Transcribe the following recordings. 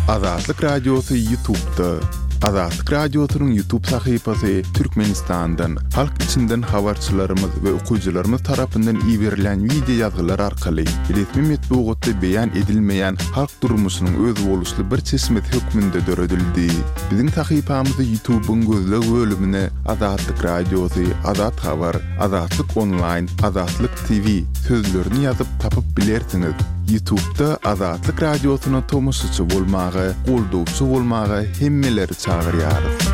Azatlyk Radiosy Ýutubda. Azatlyk Radiosynyň Ýutub sahypasy Türkmenistandan, halk içinden habarçylarymyz we okyjylarymyz tarapyndan iberilýän wideo ýazgylar arkaly resmi metbugatda beýan edilmeýän halk durmuşynyň özboluşly bir çeşmesi hökmünde döredildi. Biziň sahypamyzy Ýutubyň gözleg bölümine Azatlyk Radiosy, Azat Habar, Azatlyk Onlaýn, Azatlyk TV sözlerini ýazyp tapyp bilersiňiz. Ýutubda Azatlyk Radiosyna tomaşaçy bolmaga, goldawçy bolmaga hemmeleri çagyrýarys.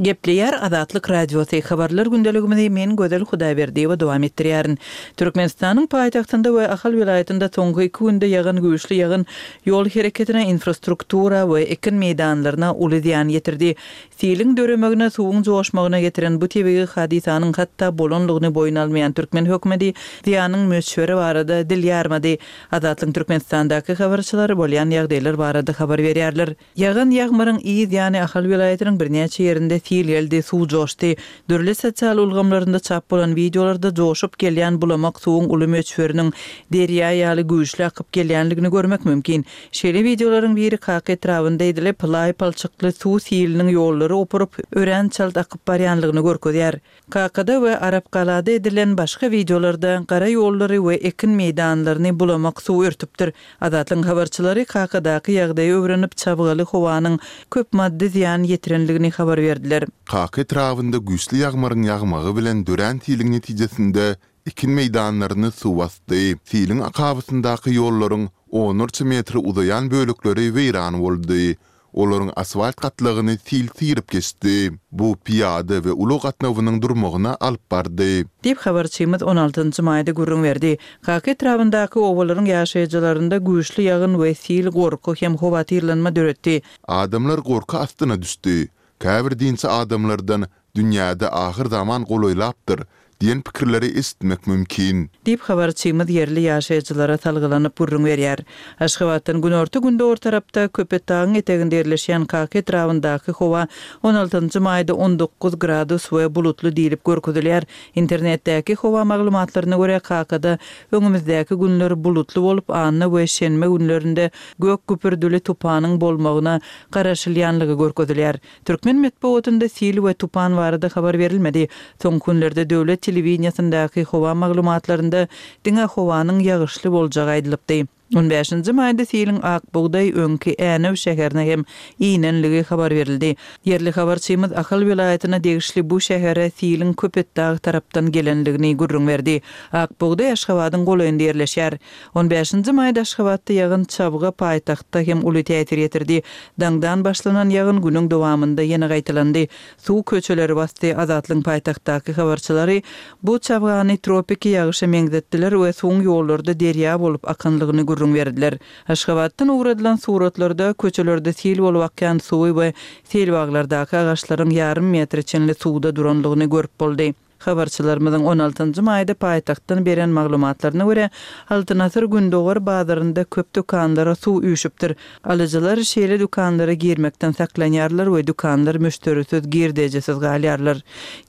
Gepleýär Azatlyk Radiosy, Habarlar gündeligimizi men Gözel Hudaýberdiýewa dowam etdirýärin. Türkmenistanyň paýtagtynda we Ahal welaýatynda soňky iki günde ýagan güýçli ýagyn ýol hereketine, infrastruktura we ekin meýdanlaryna uly zyýan ýetirdi. Siliň döremegine, suwuň joşmagyna getiren bu tebigy hadysanyň hatda bolanlygyny boýun almaýan türkmen hökümeti zyýanyň möçberi barada dil ýarmady. Azatlygyň Türkmenistandaky habarçylary bolýan ýagdaýlar barada habar berýärler. Ýagan ýagmyryň yz ýany Ahal welaýatynyň birnäçe ýerinde sil geldi, suw joşdy. Dürli sosial ulgamlarynda çap bolan wideolarda joşup gelýän bulamak suwuň uly möçberiniň derýa ýaly güýçli akyp gelýänligini görmek mümkin. Şeýle wideolaryň biri Kaka etrabynda edilip, laý-palçykly suw siliniň ýollary opuryp, örän çalt akyp barýanlygyny görkezýär. Kakada we Arapgalada edilen başga wideolarda gara ýollary we ekin meýdanlaryny bulamak suw örtüpdir. Azatlygyň habarçylary Kakadaky ýagdaýy öwrenip, çabgaly howanyň köp maddy zyýan ýetirenligini habar berdiler. Kaka etrabynda güýçli ýagmyryň ýagmagy bilen dörän siliň netijesinde Ekin meýdanlaryny suw basdy. Siliň akabasyndaky ýollaryň onlarça metre uzaýan bölekleri weýran boldy. Olaryň asfalt gatlagyny sil syryp geçdi. Bu pyýada we ulag gatnawynyň durmagyna alyp bardy. Diýip, habarçymyz on altynjy maýda gürrüň berdi. Kaka etrabyndaky obalaryň ýaşaýjylarynda güýçli ýagyn we sil gorky hem howatyrlanma döretdi. Adamlar gorky astyna düşdi. Käbir dinçi adamlardan Dünýäde ahyrzaman golaýlapdyr diýen pikirleri eşitmek mümkin. Diýip, habarçymyz ýerli ýaşaýjylara salgylanyp gürrüň berýär. Aşgabatdan günorta-gündogar tarapda, Köpetdagyň eteginde ýerleşýän Kaka etrabyndaky howa on altynjy maýda 19 gradus we bulutly diýlip görkezilýär. Internetdäki howa maglumatlaryna görä, Kakada öňümizdäki günler bulutly bolup, anna we şenbe günlerinde gök güpürdili tupanyň bolmagyna garaşylýanlygy görkezilýär. Türkmen metbugatynda sil we tupan barada habar berilmedi. Soňky günlerde döwlet telewideniýesindäki howa maglumatlarynda diňe howanyň ýagyşly boljagy aýdylypdy. On bäşinji maýda siliň Ak bugdaý öňki Änew şäherine hem inenligi habar berildi. Ýerli habarçymyz Ahal welaýatyna degişli bu şähere siliň Köpetdag tarapdan gelenligini gürrüň berdi. Ak bugdaý Aşgabadyň golaýynda ýerleşýär. On bäşinji maýda Aşgabatda ýagyn çabga paýtagtda hem uly täsir ýetirdi. Daňdan başlanan ýagyn günüň dowamynda ýene gaýtalandy. Suw köçeleri basdy. Azatlygyň paýtagtdaky habarçylary bu çabgany tropiki ýagyşa meňzetdiler we suwuň ýollarda derýa bolup akanlygyny gürrüň berdiler. Aşgabatdan ugradylan suratlarda köçelerde sil bolup akýan suwy we seýilbaglardaky agaçlaryň ýarym metre çenli suwda duranlygyny görüp boldy. Habarçylarymyzyň on altynjy maýda paýtagtdan beren maglumatlaryna görä, Altyn asyr gündogar bazarynda köp dükanlara suw üýşüpdir. Alyjylar şeýle dükanlara girmekden saklanýarlar we dükanlar müşderisiz, girdejisiz galýarlar.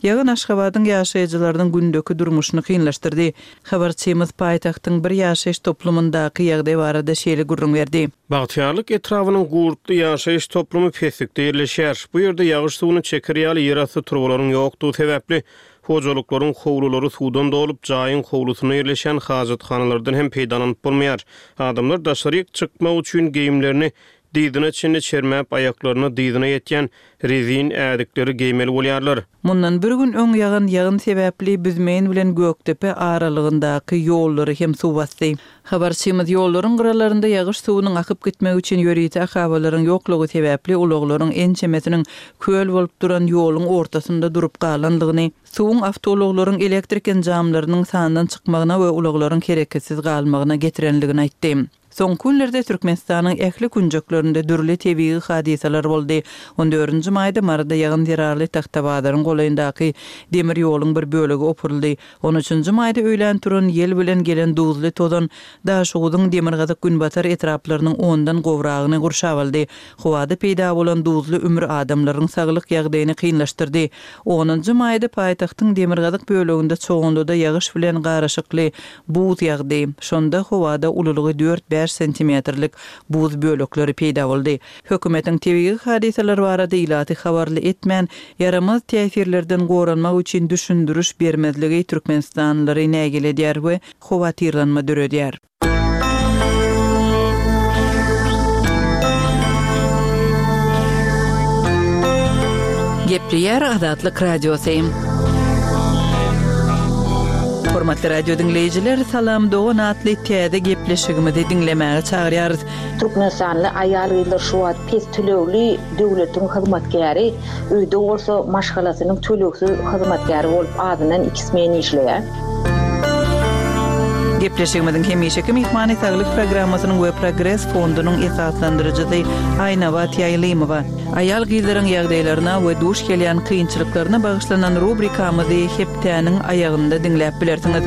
Ýagyn Aşgabadyň ýaşaýjylarynyň gündeki durmuşyny kynlaşdyrdy. Habarçymyz paýtagtyň bir ýaşaýyş toplumyndaky ýagdaý barada şeýle gürrüň berdi. Bagtyýarlyk etrabynyň Gurtly ýaşaýyş toplumy peslikde ýerleşýär. Bu ýerde ýagyş suwuny çeker ýaly ýerasty turbalaryň ýokdugy sebäpli, hojalyklaryň howlulary suwdan dolup, jaýyň howlusynda ýerleşýän hajathanalardan hem peýdalanyp bolmaýar. Adamlar daşaryk çykmak üçin geýimlerini dyzyna çenli çermäp, aýaklaryna dyzyna ýetýän rezin ädikleri geýmeli bolýarlar. Mundan bir gün öň ýagan ýagyn sebäpli Büzmeýin bilen Gökdepe aralygyndaky ýollary hem suw basdy. Habarçymyz ýollaryň gyralarynda ýagyş suwunyň akyp gitmegi üçin ýörite akabalaryň ýoklugy sebäpli ulaglaryň ençemesiniň köl bolup duran ýoluň ortasynda durup galandygyny, suwuň awtoulaglaryň elektrik enjamlarynyň sandan çykmagyna we ulaglaryň hereketsiz galmagyna getirenligini aýtdy. Soňky günlerde Türkmenistanyň ähli künjeklerinde dürli tebigy hadysalar boldy. On dördünji maýda Maryda ýagyn zerarly Tagtabazaryň golaýyndaky demir ýoluň bir bölegi opuryldy. On üçünji maýda öýlän turan ýel bilen gelen duzly tozan Daşoguzyň demirgazyk-günbatar etraplarynyň ondan gowragyny gurşap aldy. Howada peýda bolan duzly ümür adamlaryň saglyk ýagdaýyny kynlaşdyrdy. Onunjy maýda paýtagtyň demirgazyk böleginde Çoganlyda ýagyş bilen garyşykly Buz ýagdy. Şonda howada ululygy dört-bäş. 25 santimetrlik buz bölekleri peýda boldy. Hökümetiň tebigy hadysalar barada ilaty habarly etmän, ýaramaz täsirlerden goranmak üçin düşündiriş bermezligi türkmenistanlylary nägile edýär we howatyrlanma döredýär. Gepleýär Azatlyk Radiosy. Hormatly radio diňleýjiler, Salam dogan atly täze gepleşigimizi diňlemäge çagyrýarys. Türkmenistanly aýal-gyzlar şu wagt pes tölegli döwletiň hyzmatkäri, öýde bolsa maşgalasynyň tölegsiz hyzmatkäri bolup azyndan iki smen işleýär. Gepleşigimiziň hemişeki myhmany Saglyk programmasynyň we Progres fondunyň esaslandyryjysy Aýnabat Ýaýlymowa. Aýal-gyzlaryň ýagdaýlaryna we duş gelýän kynçylyklaryna bagyşlanan rubrikamyzy hepdäniň aýagynda diňläp bilersiňiz.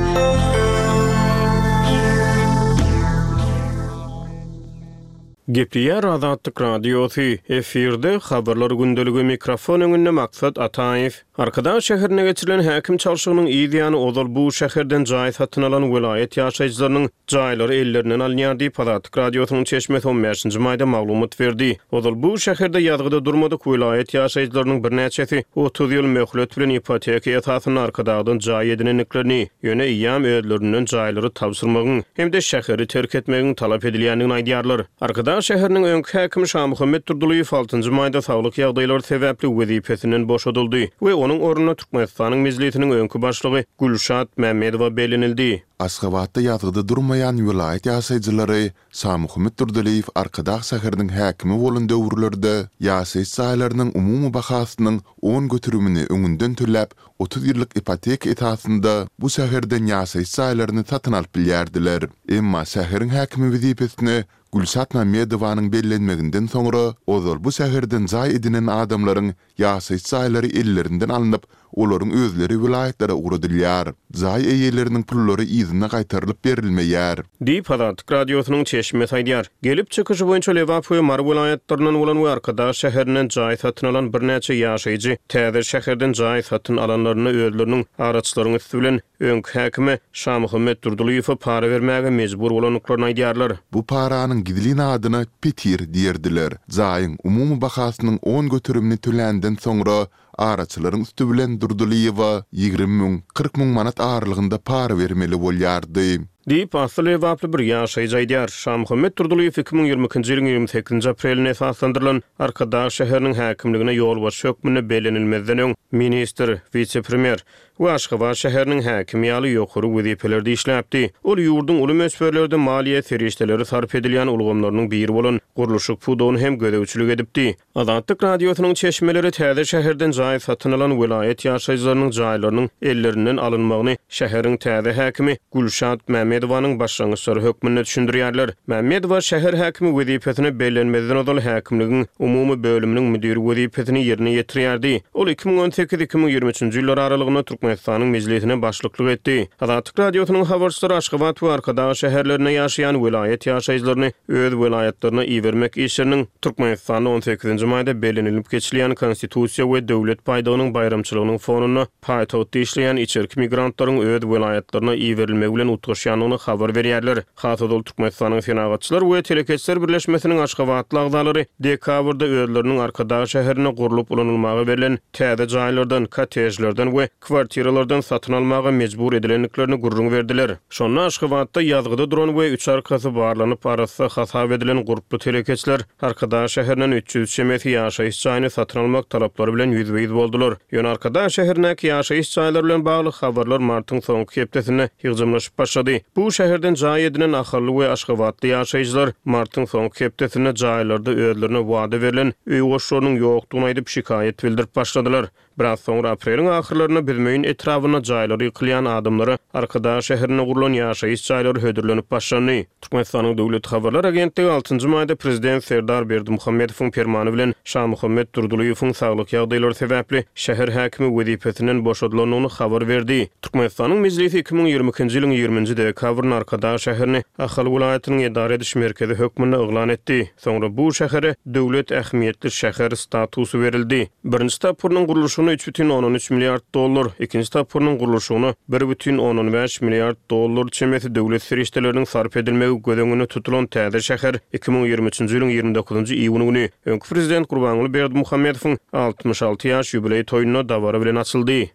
Gepleýär Azatlyk Radiosy, efirde Habarlar gündeligi, mikrofon öňünde Maksat Ataýew. Arkadag şäherinde geçirilen häkim çalşygynyň yz ýany ozal bu şäherden jaý satyn alan welaýat ýaşaýjylarynyň jaýlary ellerinden alynýar diýip, Azatlyk Radiosynyň çeşmesi on bäşinji maýda maglumat berdi. Ozal bu şäherde ýazgyda durmadyk welaýat ýaşaýjylarynyň birnäçesi 30 ýyl möhlet bilen ipoteka esasynda Arkadagdan jaý edinendiklerini, ýöne eýýäm özlerinden jaýlary tabşyrmagyň hem-de şäheri terk etmegiň talap edilýändigini aýdýarlar. Arkadag şäheriniň öňki häkimi Şamuhammet Durdylyýew altynjy maýda saglyk ýagdaýlary sebäpli wezipesinden boşadyldy we onuň ornuna Türkmenistanyň Mejlisiniň öňki başlygy Gülşat Mämmedowa bellenildi. Aşgabatda ýazgyda durmaýan welaýat ýaşaýjylary Şamuhammet Durdylyýew Arkadag şäheriniň häkimi bolan döwürlerde ýaşaýyş jaýlarynyň umumy bahasynyň on göterimini öňünden töläp, 30 ýyllyk ipoteka esasynda bu şäherden ýaşaýyş jaýlaryny satyn alyp bilýärdiler. Emma şäheriň häkimi wezipesine Gülşat Mämmedowanyň bellenmeginden soňra, ozal bu şäherden jaý edinen adamlaryň ýaşaýyş jaýlary ellerinden alnyp, olaryň özleri welaýatlara ugradylýar. Jaý eýeleriniň pullary yzyna gaýtarylyp berilmeýär. Diýip, Azatlyk Radiosynyň çeşmesi aýdýar. Gelip çykyşy boýunça Lebap we Mary welaýatlaryndan bolan we Arkadag şäherinden jaý satyn alan birnäçe ýaşaýjy täze şäherden jaý satyn alanlarynda özleriniň araçylaryň üsti bilen öňki häkime Şamuhammet Durdylyýewe para bermäge mejbur bolandyklaryny aýdýarlar. Bu paranyň gizlin adyna petir diýerdiler. Jaýyň umumy bahasynyň on göterimini töländen soňra araçylaryň üsti bilen Durdylyýewa 20 müň, 40 müň manat aralygynda para bermeli bolýardy. Diýip, asly lebaply bir ýaşaýjy aýdýar. Şamuhammet Durdylyýew 2022-nji ýylyň 28-nji aprelinde esaslandyrylan Arkadag şäheriniň häkimligine ýolbaşçy hökmünde bellenilmezden öň ministr, wise-premýer we Aşgabat şäheriniň häkimi ýaly ýokary wezipelerde işläpdi. Ol ýurduň uly möçberlerde maliýe serişdeleri sarp edilýän ulgamlarynyň biri bolan gurluşyk pudagyny hem gözegçilik edipdi. Azatlyk Radiosynyň çeşmeleri täze şäherden jaý satyn alan welaýat ýaşaýjylarynyň jaýlarynyň ellerinden alynmagyny şäheriň täze häkimi Gülşat Mämmedowanyň başlangyçlary hökmünde düşündirýärler. Mämmedowa şäher häkimi wezipesine bellenmezden ozal häkimligiň umumy bölüminiň müdiri wezipesini ýerine ýetirýärdi. Ol 2018, 2023-nji ýyllar aralygynda Türkmenistanyň Mejlisine başlyklyk etdi. Azatlyk Radiosynyň habarçylary Aşgabat we Arkadag şäherlerinde ýaşaýan welaýat ýaşaýjylaryny öz welaýatlaryna ibermek işleriniň Türkmenistanda on sekizinji maýda bellenilip geçilýän Konstitusiýa we Döwlet baýdagynyň baýramçylygynyň fonunda paýtagtda işleýän içerki migrantlaryň öz welaýatlaryna iberilmegi bilen utgaşýandygyny habar berýärler. Has ozal Türkmenistanyň Senagatçylar we telekeçiler birleşmesiniň aşgabatly agzalary dekabrda özleriniň Arkadag şäherinde gurlup ulanylmaga berlen täze jaýlardan, kottejlerden we kwartiralardan satyn almaga mejbur edilendiklerini gürrüň berdiler. Şonda Aşgabatda ýazgyda duran we üç arkasy barlanyp arassa hasap edilen gurply telekeçiler Arkadag şäherinden 300 çemesi ýaşaýyş jaýyny satyn almak talaplary bilen ýüzbe-ýüz boldular. Ýöne Arkadag şäherindäki ýaşaýyş jaýlary bilen bagly habarlar martyň soňky hepdesinde ýygjamlaşyp başlady. Bu şäherden jaý edinen ahally we aşgabatly ýaşaýjylar martyň soňky hepdesinde jaýlarda özlerine wada berlen öý goşlarynyň ýokdugyny aýdyp şikaýat bildirip başladylar. Biraz soňra apreliň ahyrlarynda Büzmeýin etrabynda jaýlary ýykylýan adamlara Arkadag şäherinde gurlan ýaşaýyş jaýlary hödürlenip başlandy. Türkmenistanyň Döwlet habarlar agentligi altynjy maýda prezident Serdar Berdimuhamedowyň permany bilen Şamuhammet Durdylyýewiň saglyk ýagdaýlary sebäpli şäher häkimi wezipesinden boşadylandygyny habar berdi. Türkmenistanyň Mejlisi 2022-nji ýylyň ýigriminji dekabrynda Arkadag şäherini Ahal welaýatynyň edara ediş merkezi hökmünde yglan etdi. Soňra bu şähere döwlet ähmiýetli şäher statusy berildi. Birinji tapgyrynyň gurluşygyna. tapgyrynda 3,3 milliard dollar, ikinji tapgyrynyň gurluşygyna 1,5 milliard dollar çemesi döwlet serişdeleriniň sarp edilmegi göz öňünde tutulan täze şäher 2023-nji ýylyň 29-njy iýuny güni öňki prezident Gurbanguly Berdimuhamedowyň 66 ýaş ýubileý toýunda dabara bilen açyldy.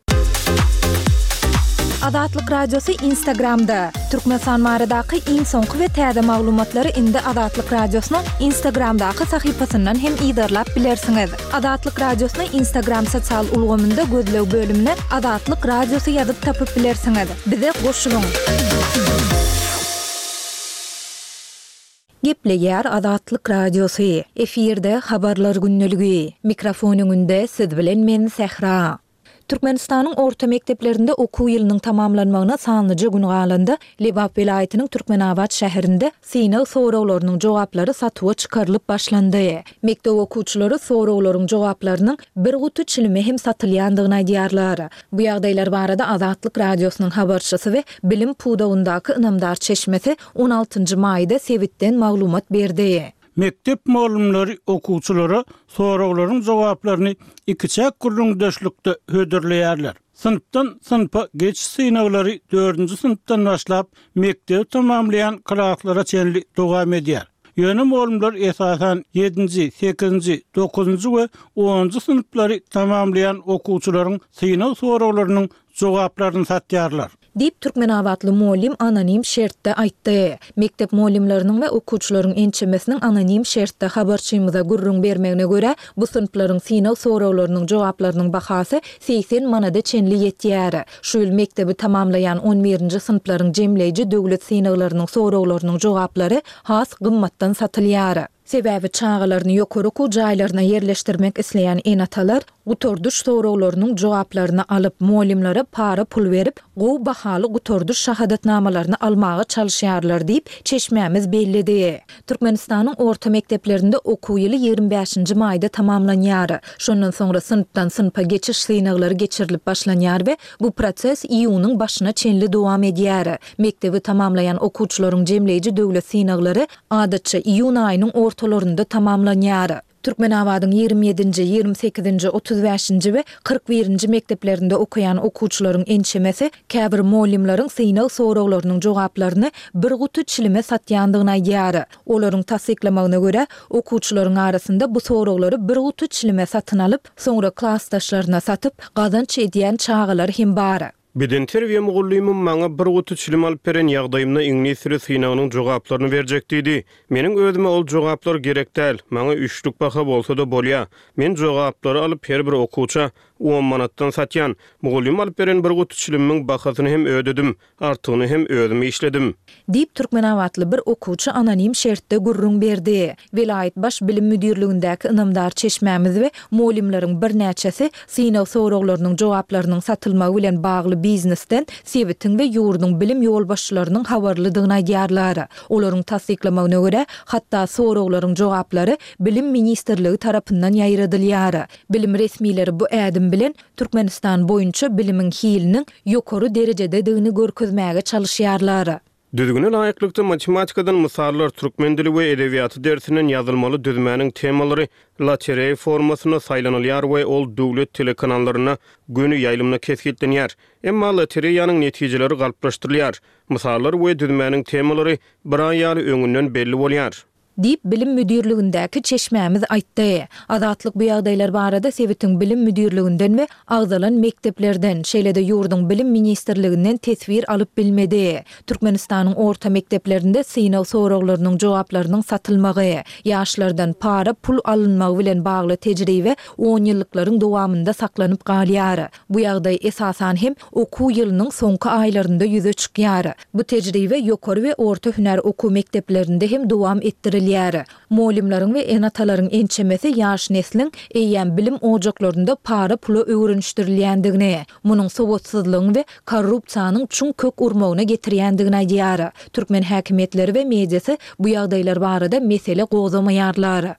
Azatlyk Radiosy Instagramda, Türkmenistan baradaky iň soňky we täze maglumatlary indi Azatlyk Radiosynyň Instagramdaky sahypasyndan hem yzarlap bilersiňiz. Azatlyk Radiosyny Instagram sosial ulgamynda gözleg bölümine Azatlyk Radiosy ýazyp tapyp bilersiňiz. Bize goşulyň! Gepleýär Azatlyk Radiosy, efirde Habarlar gündeligi. Mikrofon öňünde siz bilen men Sähra. Türkmenistanyň orta mekdeplerinde okuw ýylynyň tamamlanmagyna sanlyja gün galanda, Lebap welaýatynyň Türkmenabat şäherinde synag soraglarynyň jogaplary satuwa çykarylyp başlandy. Mekdep okuwçylary soraglaryň jogaplarynyň bir guty çilime hem satylýandygyny aýdýarlar. Bu ýagdaýlar barada Azatlyk Radiosynyň habarçysy we bilim pudagyndaky ynamdar çeşmesi on altynjy maýda sebitden maglumat berdi. Mekdep mugallymlary okuwçylara soraglaryň jogaplaryny ikiçäk gürrüňdeşlikde hödürleýärler. Synpdan synpa geçiş synaglary dördünji synpdan başlap, mekdebi tamamlaýan klaslara çenli dowam edýär. Ýöne mugallymlar esasan ýedinji, sekizinji, dokuzynjy we onunjy synplary tamamlaýan okuwçylaryň synag soraglarynyň jogaplaryny satýarlar. Diýip, türkmenabatly mugallym anonim şertde aýtdy. Mekdep mugallymlarynyň we okuwçylaryň ençemesiniň anonim şertde habarçymyza gürrüň bermegine görä, bu synplaryň synag soraglarynyň jogaplarynyň bahasy 80 manada çenli ýetýär. Şu ýyl mekdebi tamamlaýan on birinji synplaryň jemleýji döwlet synaglarynyň soraglarynyň jogaplary has gymmatdan satylýar. Sebäbi çagalaryny ýokary okuw jaýlaryna ýerleşdirmek isleýän ene-atalar gutardyş soraglarynyň jogaplaryny alyp, mugallymlara para pul berip, gowy bahaly gutardyş şahadatnamalaryny almaga çalyşýarlar diýip, çeşmämiz belledi. Türkmenistanyň orta mekdeplerinde okuw ýyly 25-nji maýda tamamlanýar. Şondan soňra synpdan synpa geçiş synaglary geçirilip başlanýar we bu proses iýunyň başyna çenli dowam edýär. Mekdebi tamamlaýan okuwçylaryň jemleýji döwlet synaglary adatça, iýun aýynyň ortalarynda tamamlanýar. Türkmenabadyň 27-nji, 28-nji, 35-nji we 41-nji mekdeplerinde okaýan okuwçylaryň ençemesi käbir mugallymlaryň synag soraglarynyň jogaplaryny bir guty çilime satýandygyny aýdýar. Olaryň tassyklamagyna görä, okuwçylaryň arasynda bu soraglary bir guty çilime satyn alyp, soňra klasdaşlaryna satyp, gazanç edýän çagalar hem bar. Bedenterbiýe mugallymym maňa bir guty çilim alyp beren ýagdaýymda iňlis dili synagynyň jogaplaryny berjek diýdi. Meniň özüme ol jogaplar gerek däl, maňa üçlük baha bolsa-da bolýa. Men jogaplary alyp her bir okuwça on manatdan satýan. Mugallym alyp beren bir guty çilimimiň bahasyny hem ödedim. Artygyny hem özüm işledim. Diýip, türkmenabatly bir okuwçy anonim şertde gürrüň berdi. Welaýat Baş bilim müdirligindäki ynamdar çeşmämiz we mugallymlaryň birnäçesi synag soraglarynyň jogaplarynyň satylmagy bilen bagly biznesden sebitiň we ýurduň bilim ýolbaşçylarynyň habarlydygyny aýdýarlar. Olaryň tassyklamagyna görä, hatda soraglaryň jogaplary Bilim ministrligi tarapyndan ýaýradylýar. Bilim resmileri bu ädim bilen Türkmenistan boýunça bilimiň hiliniň ýokary derejededigini görkezmäge çalyşýarlar. Düzgüne laýyklykda matematikadan mysallar, türkmen dili we edebiýaty dersinden ýazylmaly düzmäniň temalary lotereýa formasynda saýlanylýar we ol döwlet telekanallarynda göni ýaýlymda kesgitlenýär. Emma lotereýanyň netijeleri galplaşdyrylýar. Mysallar we düzmäniň temalary bir aý ýaly öňünden belli bolýar. Diýip, bilim müdirligindäki çeşmämiz aýtdy. Azatlyk bu ýagdaýlar barada sebitiň bilim müdirliginden we agzalan mekdeplerden, şeýle-de ýurduň Bilim ministrliginden teswir alyp bilmedi. Türkmenistanyň orta mekdeplerinde synag soraglarynyň jogaplarynyň satylmagy, ýaşlardan para pul alynmagy bilen bagly tejribe onýyllyklaryň dowamynda saklanyp galýar. Bu ýagdaý, esasan hem, okuw ýylynyň soňky aýlarynda ýüze çykýar. Bu tejribe ýokary we orta hünär okuw mekdeplerinde hem dowam etdirilýär. Mugallymlaryň we ene-atalaryň ençemesi ýaş nesliň eýýäm bilim ojaklarynda para-pula öwrenişdirilýändigini, munuň sowatsyzlygyň we korrupsiýanyň çuň kök urmagyna getirýändigini aýdýar. Türkmen häkimiýetleri we mediasy bu ýagdaýlar barada mesele gozgamaýarlar.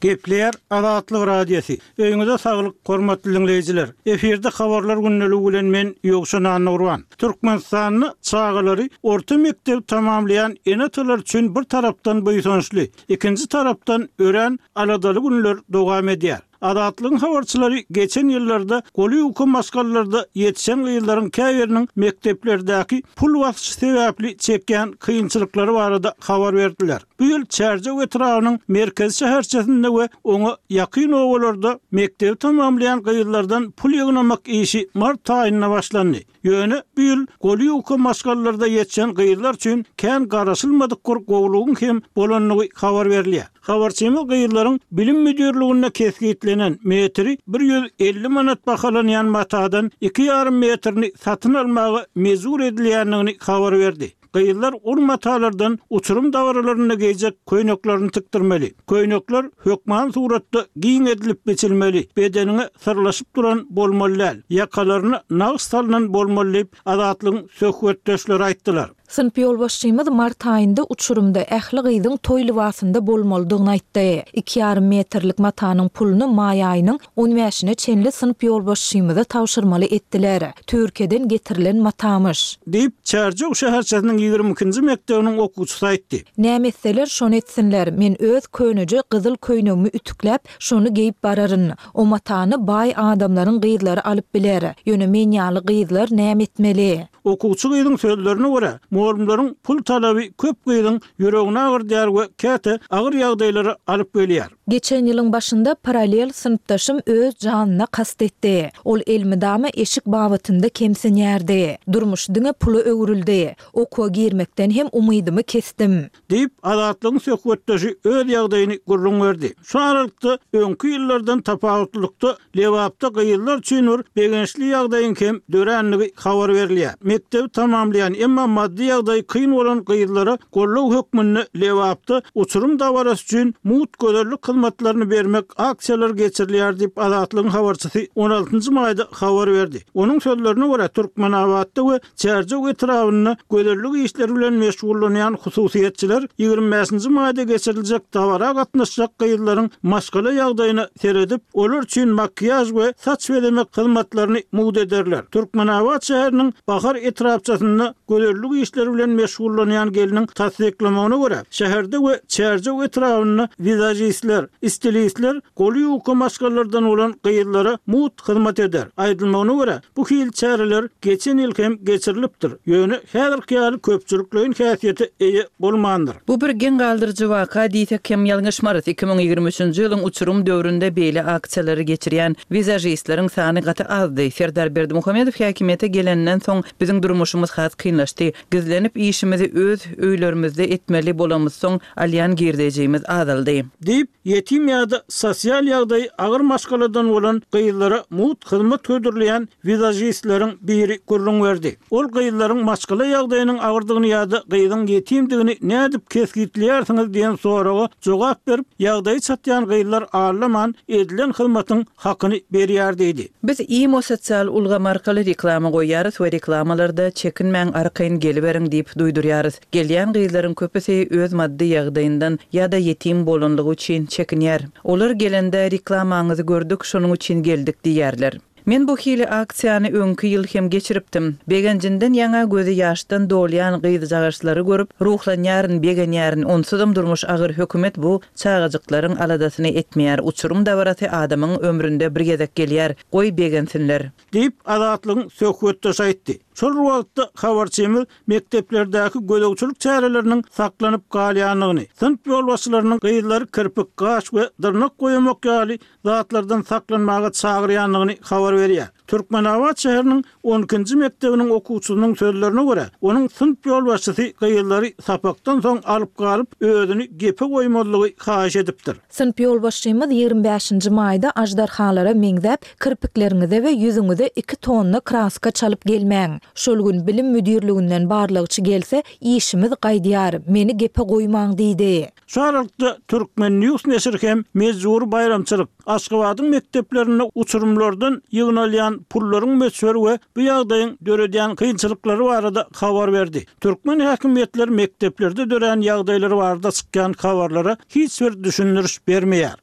Gepleýär Azatlyk Radiosy. Öýüňize saglyk, hormatly diňleýjiler! Efirde Habarlar gündeligi bilen men, Ýowşan Annagurban. Türkmenistanda çagalary orta mekdebi tamamlaýan ene-atalar üçin bir tarapdan buýsançly, ikinji tarapdan örän aladaly günler dowam edýär. Azatlygyň habarçylary geçen ýyllarda goly ýuka maşgalalarda ýetişen gyzlaryň käbiriniň mekdeplerdäki pul basyşy sebäpli çekýän kynçylyklary barada habar berdiler. Bu ýyl Çärjew etrabynyň merkezi şäherçesinde we oňa ýakyn obalarda mekdebi tamamlaýan gyzlardan pul ýygnamak işi mart aýynda başlandy. Ýöne bu ýyl goly ýuka maşgalalarda ýetişen gyzlar üçin kän garaşylmadyk bir gowulygyň hem bolandygy habar berilýär. Habarçymyz gyzlaryň Bilim müdirliginde kesgitlenen metri 150 manat bahalanýan matadan iki ýarym metrini satyn almaga mejbur edilýändigini habar berdi. Gyzlar ol matalardan uçurym dabaralarynda geýjek köýneklerini tikdirmeli. Köýnekler hökman suratda giň edilip biçilmeli, bedeniňe syrlaşyp duran bolmaly däl, ýakalaryna nagyş salnan bolmaly diýip, Azatlygyň söhbetdeşleri aýtdylar. Synp ýolbaşçymyz mart aýynda uçurymda ähli gyzyň toý lybasynda bolmalydygyny aýtdy. Iki ýarym metrlik matanyň puluny maý aýynyň on bäşine çenli synp ýolbaşçymyza tabşyrmaly etdiler. Türkiýeden getirilen matamyş. Diýip, Çärjew şäherçesiniň 22-nji mekdebiniň okuwçysy aýtdy. Näme etseler, şony etsinler. Men öz köneje gyzyl köýnegimi ütükläp, şony geýip bararyn. O matany baý adamlaryň gyzlary alyp biler. Ýöne men ýaly gyzlar näme etmeli? Okuwçy gyzyň sözlerine görä, mugallymlaryň pul talaby köp gyzyň ýüregini agyrdýar we käte agyr ýagdaýlara alyp gelýär. Geçen ýylyň başynda parallel synpdaşym öz janyna kast etdi. Ol elmydama eşik babatynda kemsinýärdi. Durmuş diňe pula öwrüldi. Okuwa girmekden hem umydymy kesdim. Diýip, Azatlygyň söhbetdeşi öz ýagdaýyny gürrüň berdi. Şu aralykda, öňki ýyllardan tapawutlylykda, Lebapda gyzlar üçin bir begençli ýagdaýyň hem dörändigi habar berilýär. Mekdebi tamamlaýan, emma maddy ýagdaýy kyn bolan gyzlara goldaw hökmünde Lebapda uçurym dabarasy üçin mugt gözellik hyzmatlaryny bermek aksiýalary geçirilýär diýip, Azatlygyň habarçysy on altynjy maýda habar berdi. Onuň sözlerine görä, Türkmenabatda we Çärjew etrabynda gözellik işleri bilen meşgullanýan hususyýetçiler 25-nji maýda geçiriljek dabara gatnaşjak gyzlaryň maşgala ýagdaýyna seredip, olar üçin makiýaž we saç bezemek hyzmatlaryny mugt ederler. Türkmenabat şäheriniň Bahar etrapçasynda gözellik işleri bilen meşgullanýan gelniň tassyklamagyna görä, şäherde we Çärjew etrabynda wizažistler, stilistler goly ýuka maşgalalardan bolan gyzlara mugt hyzmat eder. Aýdylmagyna görä, bu hili çäreler geçen ýyl hem geçirilipdir, ýöne häzirki ýaly köpçülikleýin häsiýete eýe bolmandyr. Bu bir geň galdyryjy waka diýsek hem ýalňyşmarys. 2023-nji ýylyň uçurym döwründe beýle aksiýalary geçirýän wizažistleriň sany gaty azdy. Serdar Berdimuhamedow häkimiýete geleninden soň biziň durmuşymyz has kynlaşdy. Gizlenip işimizi öz öýlerimizde etmeli bolamyzsoň alýan girdejimiz azaldy. Diýip, ýetim ýa-da sosial ýagdaýy agyr maşgaladan bolan gyzlara mugt hyzmat hödürleýän wizažistleriň biri gürrüň berdi. Ol gyzlaryň maşgala ýagdaýynyň agyrdygyny ýa-da gyzyň ýetimdigini nädip kesgitleýärsiňiz diýen soraga jogap berip, ýagdaýy çatýan gyzlar aldaman edilen hyzmatyň hakyny berýär diýdi. Biz imo sosial ulgamy arkaly reklama goýýarys we reklamalarda çekinmäň arkaýyn geliberiň diýip duýdurýarys. Gelýän gyzlaryň köpüsi öz maddy ýagdaýyndan ýa-da ýetim bolanlygy üçin çekinýär. Olar gelende reklamaňyzy gördük şonuň üçin geldik diýýärler. Men bu hili aksiýany öňki ýyl hem geçiripdim. Begenjinden ýaňa gözi ýaşdan dolýan gyzjagaşlary görüp ruhlanýaryn, begenýärin. Onsuzam durmuş agyr hökümet bu çagajyklaryň aladasyny etmeýär. Uçurym dabarasy adamyň ömründe bir gezek gelýär. Goý begensinler. Diýip, Azatlygyň söhbetdeşi aýtdy. Şol bir wagtda, habarçymyz mekdeplerdäki gözegçilik çäreleriniň saklanyp galýandygyny, synp ýolbaşçylarynyň gyzlary kirpik, gaş we dyrnak goýamak ýaly zatlardan saklanmaga çagyrýandygyny habar berýär. Türkmenabat şäheriniň on ikinji mekdebiniň okuwçysynyň sözlerine görä, onuň synp ýolbaşçysy gyzlary sapakdan soň alyp galyp, özüni gepe goýmazlygy haýyş edipdir. Synp ýolbaşçymyz ýigrimi bäşinji maýda aždarhalara meňzäp, kirpikleriňize we ýüzüňize iki tonna kraska çalyp gelmäň. Şol gün bilim müdirliginden barlagçy gelse, işimiz gaýdýar, meni gepe goýmaň diýdi. Şu aralykda, Turkmen. News neşiri hem mejbury baýramçylyk, Aşgabadyň mekdeplerinde uçurymlardan ýygnalýan pullaryň möçberi we bu ýagdaýyň döredýän kynçylyklary barada habar berdi. Türkmen häkimiýetleri mekdeplerde dörän ýagdaýlar barada çykýan habarlara hiç bir düşündiriş bermeýär.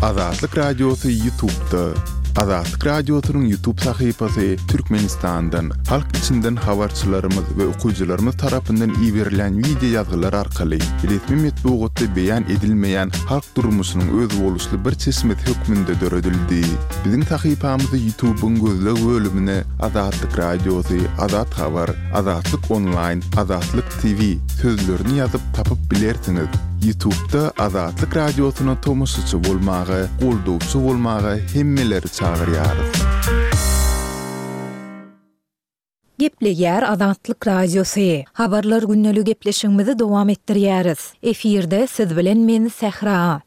Azatlyk Radiosy Ýutubda. Azatlyk Radiosynyň Ýutub sahypasy Türkmenistandan, halk içinden habarçylarymyz we okyjylarymyz tarapyndan iberilýän wideo ýazgylar arkaly resmi metbugatda beýan edilmeýän halk durmuşynyň özboluşly bir çeşmesi hökmünde döredildi. Biziň sahypamyzy Ýutubyň gözleg bölümine Azatlyk Radiosy, Azat Habar, Azatlyk Onlaýn, Azatlyk TV sözlerini ýazyp tapyp bilersiňiz. Ýutubda Azatlyk Radiosyna tomaşaçy bolmaga, goldawçy bolmaga hemmeleri çagyrýarys. Gepleýär Azatlyk Radiosy. Habarlar gündeli gepleşigimizi dowam etdirýäris. Efirde siz bilen men Sähra.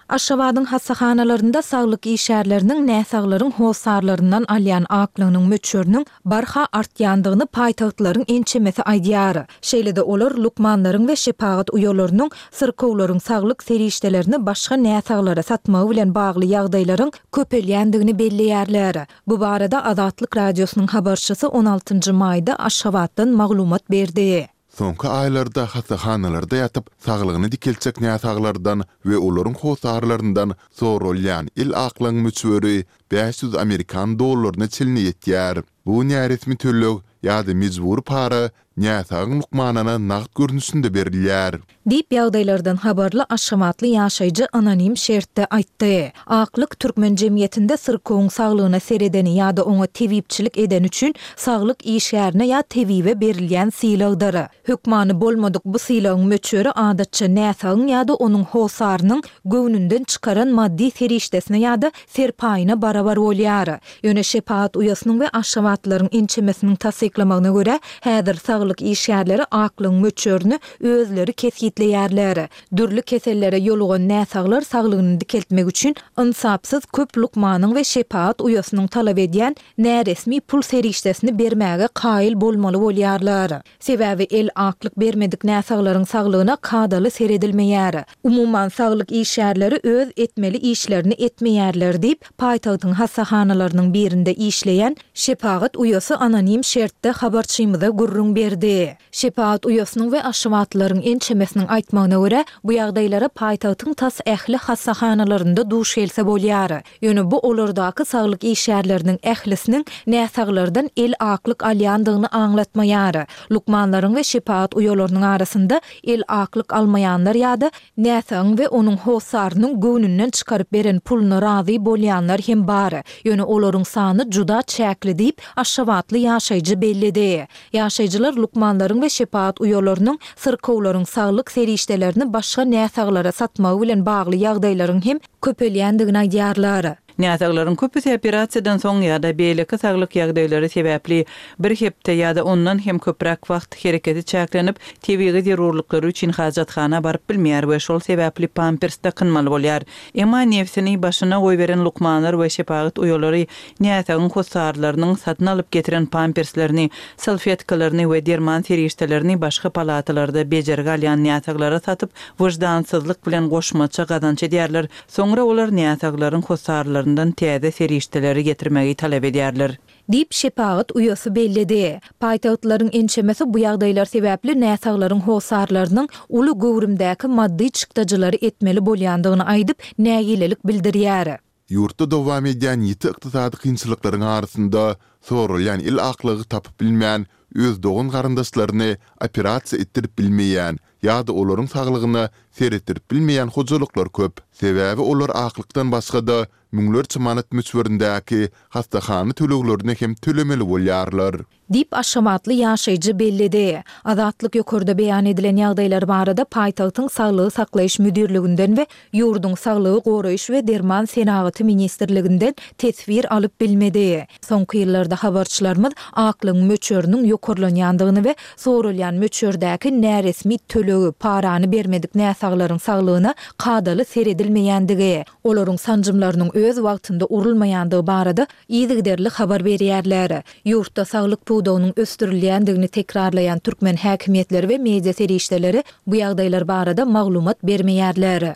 Aşgabadyň hassahanalarynda saglyk işgärleriniň näsaglaryň hossarlaryndan alýan aklygynyň möçberiniň barha artýandygyny paýtagtlaryň ençemesi aýdýar. Şeýle-de olar lukmanlaryň we şepagat uýalarynyň syrkawlaryň saglyk serişdelerini başga näsaglara satmagy bilen bagly ýagdaýlaryň köpelýändigini belleýärler. Bu barada Azatlyk Radiosynyň habarçysy on altynjy maýda Aşgabatdan maglumat berdi. Soňky aýlarda hassahanalarda ýatyp, saglygyny dikeltjek näsaglardan we olaryň hossarlaryndan soralýan el aklygyň möçberi 500 amerikan dollaryna çenli ýetýär. Bu näresmi töleg ýa-da mejbury para näsagyň lukmanyna nagt görnüşinde berilýär. Diýip, ýagdaýlardan habarly aşgabatly ýaşaýjy anonim şertde aýtdy. Aklyk türkmen jemgyýetinde syrkawyň saglygyna seredeni ýa-da oňa tebipçilik edeni üçin saglyk işgärine ýa tebibe berilýän sylagdyr. Hökmany bolmadyk bu sylagyň möçberi adatça näsagyň ýa-da onuň hossarynyň göwnünden çykaran maddy serişdesine ýa-da serpaýyna barabar bolýar. Ýöne şepagat uýasynyň we aşgabatlylaryň ençemesiniň tassyklamagyna görä, häzir saglyk işgärleri aklygyň möçberini özleri kesgitleýärler. Dürli kesellere ýolugan näsaglar saglygyny dikeltmek üçin ynsapsyz köp lukmanyň we şepagat uýasynyň talap edýän näresmi pul serişdesini bermäge kaýyl bolmaly bolýarlar. Sebäbi el aklyk bermedik näsaglaryň saglygyna kadaly seredilmeýär. Umuman, saglyk işgärleri öz etmeli işlerini etmeýärler diýip, paýtagtyň hassahanalarynyň birinde işleýän şepagat uýasy anonim şertde habarçymyza gürrüň berdi. Şepagat uýasynyň we aşgabatlylaryň ençemesiniň aýtmagyna görä, bu ýagdaýlara paýtagtyň tas ähli hassahanalarynda duş gelse bolýar. Ýöne bu olardaky saglyk işgärleriniň ählisiniň näsaglardan el aklyk alýandygyny aňlatmaýar. Lukmanlaryň we şepagat uýalarynyň arasynda el aklyk almaýanlar ýa-da näsagyň we onuň hossarynyň göwnünden çykaryp beren puluna razy bolýanlar hem bar. Ýöne olaryň sany juda çäkli diýip, aşgabatly ýaşaýjy belledi. Ýaşaýjylar lukmanlaryň we şepagat uýalarynyň syrkawlaryň saglyk serişdelerini başga näsaglara satmagy bilen bagly ýagdaýlaryň hem köpelýändigini aýdýarlar. Näsaglaryň köpüsi operasiýadan soň ýa-da beýleki saglyk ýagdaýlary sebäpli bir hepde ýa-da ondan hem köpräk wagt hereketi çäklenip, tebigy zerurlyklary üçin hajathana baryp bilmeýär we şol sebäpli pampers dakynmaly bolýar. Emma nebsini başyna goýberen lukmanlar we şepagat uýalary näsagyň hossarlarynyň satyn alyp getiren pamperslerini, salfetkalaryny we derman serişdelerini başga palatalarda bejergi alýan näsaglara satyp, wyždansyzlyk bilen goşmaça gazanç edýärler, soňra olar näsaglaryň hossarlaryndan täze serişdeleri getirmegi talap edýärler. Diýip, şepagat uýasy belledi. Paýtagtlylaryň ençemesi bu ýagdaýlar sebäpli näsaglaryň hossarlarynyň uly göwrümdäki maddy çykdajylary etmeli bolýandygyny aýdyp, nägilelik bildirýär. Ýurtda dowam edýän ýiti ykdysady kynçylyklaryň arasynda soralýan el aklygy tapyp bilmän, öz dogan-garyndaşlaryny operasiýa etdirip bilmeýän ýa-da olaryň saglygyna seretdirip bilmeýän hojalyklar köp. Sebäbi olar aklykdan başga-da müňlerçe manat möçberindäki hassahana töleglerini hem tölemeli bolýarlar. Diýip, aşgabatly ýaşaýjy belledi. Azatlyk ýokarda beýan edilen ýagdaýlar barada paýtagtyň Saglygy saklaýyş müdirliginden we ýurduň Saglygy goraýyş we derman senagaty ministrliginden teswir alyp bilmedi. Soňky ýyllarda habarçylarymyz aklygyň möçberiniň ýokarlanýandygyny we soralýan möçberdäki näresmi tölegi, parany bermedik näsaglaryň saglygyna kadaly seredilmeýändigi, olaryň sanjymlarynyň öz wagtynda urulmaýandygy barada yzygiderli habar berýärler. Ýurtda saglyk pudagynyň ösdürilýändigini tekrarlaýan türkmen häkimiýetleri we media serişdeleri bu ýagdaýlar barada maglumat bermeýärler.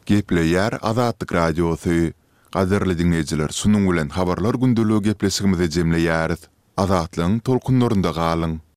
Gepleýär Azatlyk Radiosy. Gadyrly diňleýjiler şunuň bilen Habarlar gündeligi gepleşigimizi jemleýäris. Azatlygyň tolkunlarynda galyň!